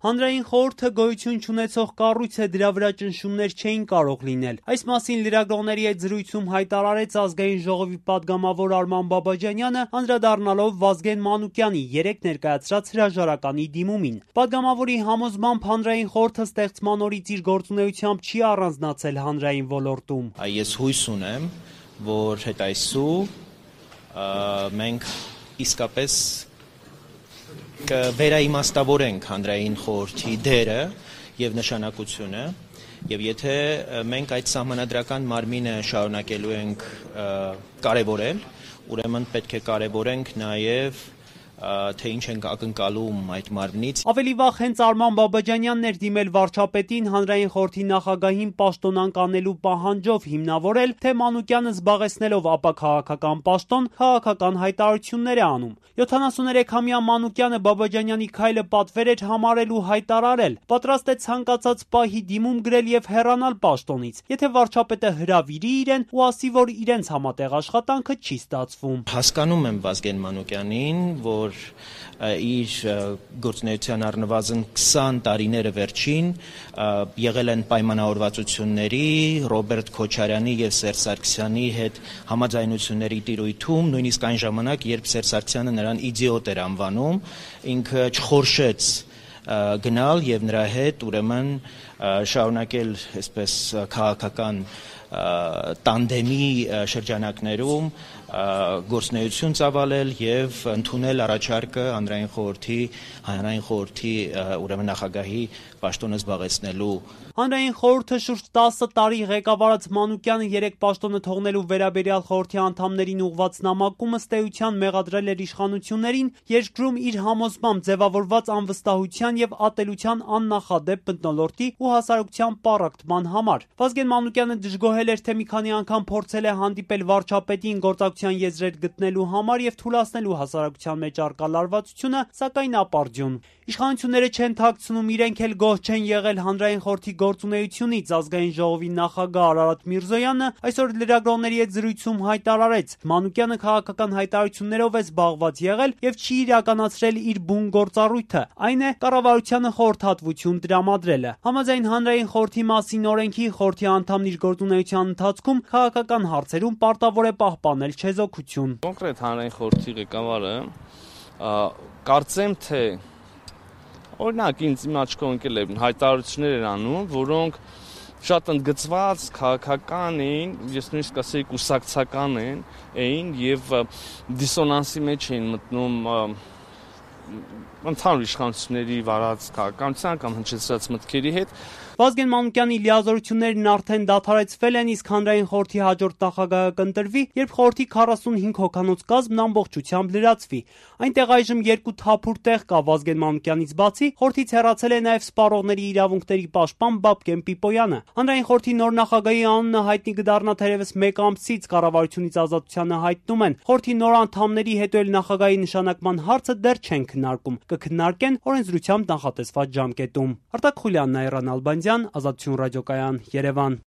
Հանրային խորհուրդը գոյություն չունեցող կառույց է, դրա վրա ճնշումներ չէին կարող լինել։ Այս մասին լրագրողների հետ զրույցում հայտարարեց Ազգային ժողովի падգամավոր Արման Բաբաջանյանը, անդրադառնալով Վազգեն Մանուկյանի երեկ ներկայացրած հրաժարականի դիմումին։ Падգամավորի համոզմամբ հանրային խորհուրդը ստեղծման օրից իր գործունեությամբ չի առանձնացել հանրային ոլորտում։ Ես հույս ունեմ, որ հետ այսու մենք իսկապես կվերաիմաստավորենք հանրային խորհրդի դերը եւ նշանակությունը, եւ եթե մենք այդ սահմանադրական մարմինը շարունակելու ենք կարեւորել, ուրեմն պետք է կարեւորենք նաեւ թե ինչ ենք ակնկալում այդ մարմնից։ Ավելի վաղ հենց Արման Բաբաջանյանն էր դիմել վարչապետին հանրային խորհրդի նախագահին պաշտոնանկ անելու պահանջով, հիմնավորել, թե Մանուկյանը զբաղեցնելով ապաքաղաքական պաշտոն, քաղաքական հայտարարություններ է անում։ 73-ամյա Մանուկյանը Բաբաջանյանի քայլը պատվեր էր համարել ու հայտարարել, պատրաստ է ցանկացած պահի դիմում գրել եւ հեռանալ պաշտոնից, եթե վարչապետը հրավիրի իրեն ու ասի, որ իրենց համատեղ աշխատանքը չի ստացվում։ Հասկանում եմ Վազգեն Մանուկյանին, որ իր գործունեության առնվազն 20 տարիները վերջին եղել են պայմանավորվածությունների, Ռոբերտ Քոչարյանի եւ Սերժ Սարգսյանի հետ համաձայնությունների տիրույթում, նույնիսկ այն ժամանակ, երբ Սերժ Սարգսյանը նրան իդիոտ էր անվանում, ինքը չխորշեց գնալ եւ նրա հետ ուրեմն շարունակել այսպես քաղաքական տանդեմի շրջանակներում գործունեություն ծավալել եւ ընդունել առաջարկը հանրային խորհրդի ուրեմն նախագահի պաշտոնը զբաղեցնելու։ Հանրային խորհուրդը շուրջ 10 տարի ղեկավարած Մանուկյանը երեք պաշտոնը թողնելու վերաբերյալ խորհրդի անդամներին ուղղված նամակում ըստ էության մեղադրել էր իշխանություններին երկրում իր համոզմամբ ձևավորված անվստահության եւ ատելության աննախադեպ մթնոլորտի ու հասարակության պառակտման համար։ Վազգեն Մանուկյանը դժգոհել էր, թե մի քանի անգամ փորձել է հանդիպել վարչապետին գործակցության եզրեր գտնելու համար եւ թույլատնելու հասարակության մեջ առկա լարվածությունը, սակայն ապարդյուն։ Իշխանությունները չեն թաքցնում, իրենք էլ գոհ չեն եղել հանրային խորհրդի գործունեությունից։ Ազգային ժողովի նախագահ Արարատ Միրզոյանը այսօր լրագրողների հետ զրույցում հայտարարեց. Մանուկյանը քաղաքական հայտարարություններով է զբաղված եղել եւ չի իրականացրել իր բուն գործառույթը, այն է կառավարությանը խորհրդատվություն տրամադրելը։ Համաձայն հանրային խորհրդի մասին օրենքի խորհրդի անդամն իր գործունեության ընթացքում քաղաքական հարցերում պարտավոր է պահպանել չեզոքություն։ Կոնկրետ հանրային խորհրդի ղեկավարը կարծեմ թե օրինակ ինձ իմ աչքով ընկել են հայտարարություններ են անում, որոնք շատ ընդգծված քաղաքական էին, ես նույնիսկ ասեի կուսակցական էին եւ դիսոնանսի մեջ էին մտնում ընդհանուր իշխանությունների վարած քաղաքականության կամ հնչեցրած մտքերի հետ։ Վազգեն Մանուկյանի լիազորություններն արդեն դադարեցվել են, իսկ հանրային խորհրդի հաջորդ նախագահը կընտրվի, երբ խորհրդի 45 հոգանոց կազմն ամբողջությամբ լրացվի։ Այնտեղ այժմ 2 թափուր տեղ կա Վազգեն Մանուկյանից բացի, խորհրդից հեռացել է նաև սպառողների իրավունքների պաշտպան Բաբկեն Պիպոյանը։ Հանրային խորհրդի նոր նախագահի անունը հայտնի կդառնա թերևս 1 ամսից, կառավարությունից ազատությանը հայտնում են։ Խորհրդի նոր անդամների հետո էլ նախագահի նշանակման հարցը դեռ չեն քննարկում, կքննարկեն օրենսդրությամբ նախատեսված ժամկետում։ Արտակ Խուլյանն, Այռան Ալբանդյան, Ազատություն ռադիոկայան, Երևան։